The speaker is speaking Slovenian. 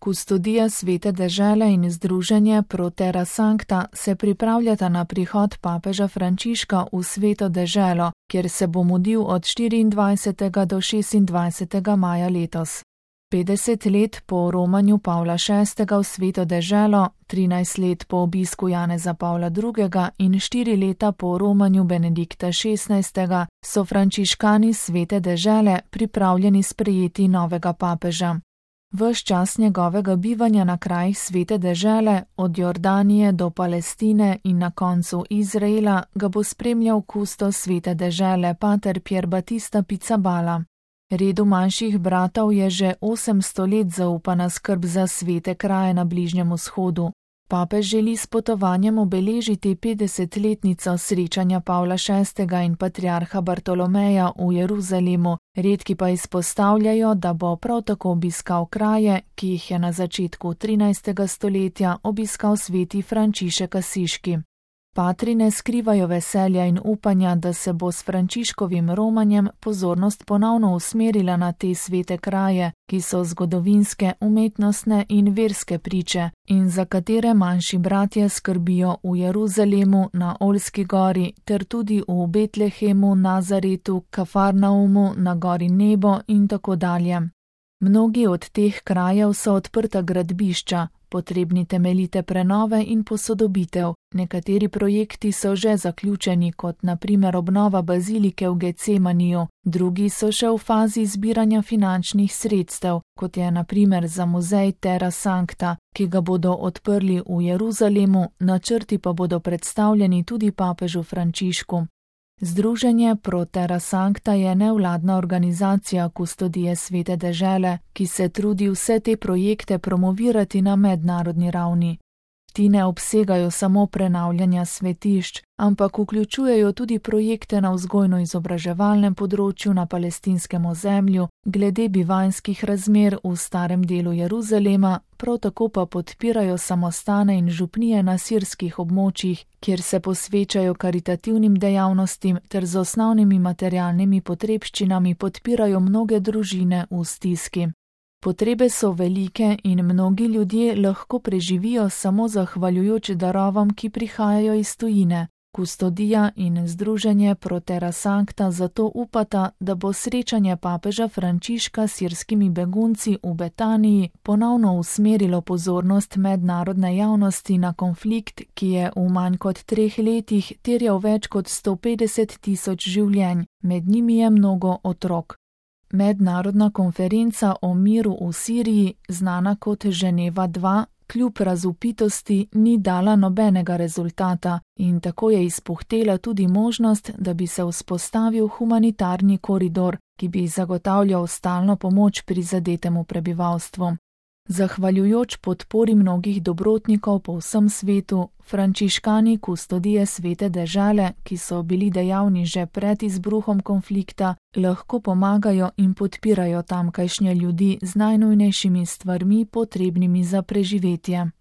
Kustodija Svete dežele in Združenje Pro Terra Sancta se pripravljata na prihod papeža Frančiška v Sveto deželo, kjer se bo mudil od 24. do 26. maja letos. 50 let po romanju Pavla VI. V Sveto deželo, 13 let po obisku Janeza Pavla II. In 4 leta po romanju Benedikta XVI. So frančiškani Svete dežele pripravljeni sprejeti novega papeža. Ves čas njegovega bivanja na krajih Svete dežele, od Jordanije do Palestine in na koncu Izraela, ga bo spremljal kustos Svete dežele pater Pier Battista Pizzaballa. Redu manjših bratov je že 800 let zaupana skrb za svete kraje na Bližnjem vzhodu. Papež želi s potovanjem obeležiti 50-letnico srečanja Pavla VI. In patriarha Bartolomeja v Jeruzalemu, redki pa izpostavljajo, da bo prav tako obiskal kraje, ki jih je na začetku 13. stoletja obiskal sveti Frančišek Asiški. Patri ne skrivajo veselja in upanja, da se bo s Frančiškovim romanjem pozornost ponovno usmerila na te svete kraje, ki so zgodovinske, umetnostne in verske priče in za katere manjši bratje skrbijo v Jeruzalemu, na Oljski gori ter tudi v Betlehemu, Nazaretu, Kafarnaumu, na gori Nebo in tako dalje. Mnogi od teh krajev so odprta gradbišča, potrebni temeljite prenove in posodobitev. Nekateri projekti so že zaključeni, kot na primer obnova bazilike v Getsemaniju, drugi so še v fazi zbiranja finančnih sredstev, kot je na primer za muzej Terra Sancta, ki ga bodo odprli v Jeruzalemu, načrti pa bodo predstavljeni tudi papežu Frančišku. Združenje Pro Terra Sancta je nevladna organizacija kustodije Svete dežele, ki se trudi vse te projekte promovirati na mednarodni ravni. Ti ne obsegajo samo prenavljanja svetišč, ampak vključujejo tudi projekte na vzgojno-izobraževalnem področju na palestinskem ozemlju, glede bivanjskih razmer v starem delu Jeruzalema, prav tako pa podpirajo samostane in župnije na sirskih območjih, kjer se posvečajo karitativnim dejavnostim ter z osnovnimi materialnimi potrebščinami podpirajo mnoge družine v stiski. Potrebe so velike in mnogi ljudje lahko preživijo samo zahvaljujoč darovam, ki prihajajo iz tujine. Kustodija in Združenje Pro Terra Sancta zato upata, da bo srečanje papeža Frančiška s sirskimi begunci v Betaniji ponovno usmerilo pozornost mednarodne javnosti na konflikt, ki je v manj kot 3 letih terjal več kot 150 tisoč življenj, med njimi je mnogo otrok. Mednarodna konferenca o miru v Siriji, znana kot Ženeva 2, kljub razvpitosti ni dala nobenega rezultata in tako je izpuhtela tudi možnost, da bi se vzpostavil humanitarni koridor, ki bi zagotavljal stalno pomoč prizadetemu prebivalstvu. Zahvaljujoč podpori mnogih dobrotnikov po vsem svetu, frančiškani kustodije Svete dežele, ki so bili dejavni že pred izbruhom konflikta, lahko pomagajo in podpirajo tamkajšnje ljudi z najnujnejšimi stvarmi potrebnimi za preživetje.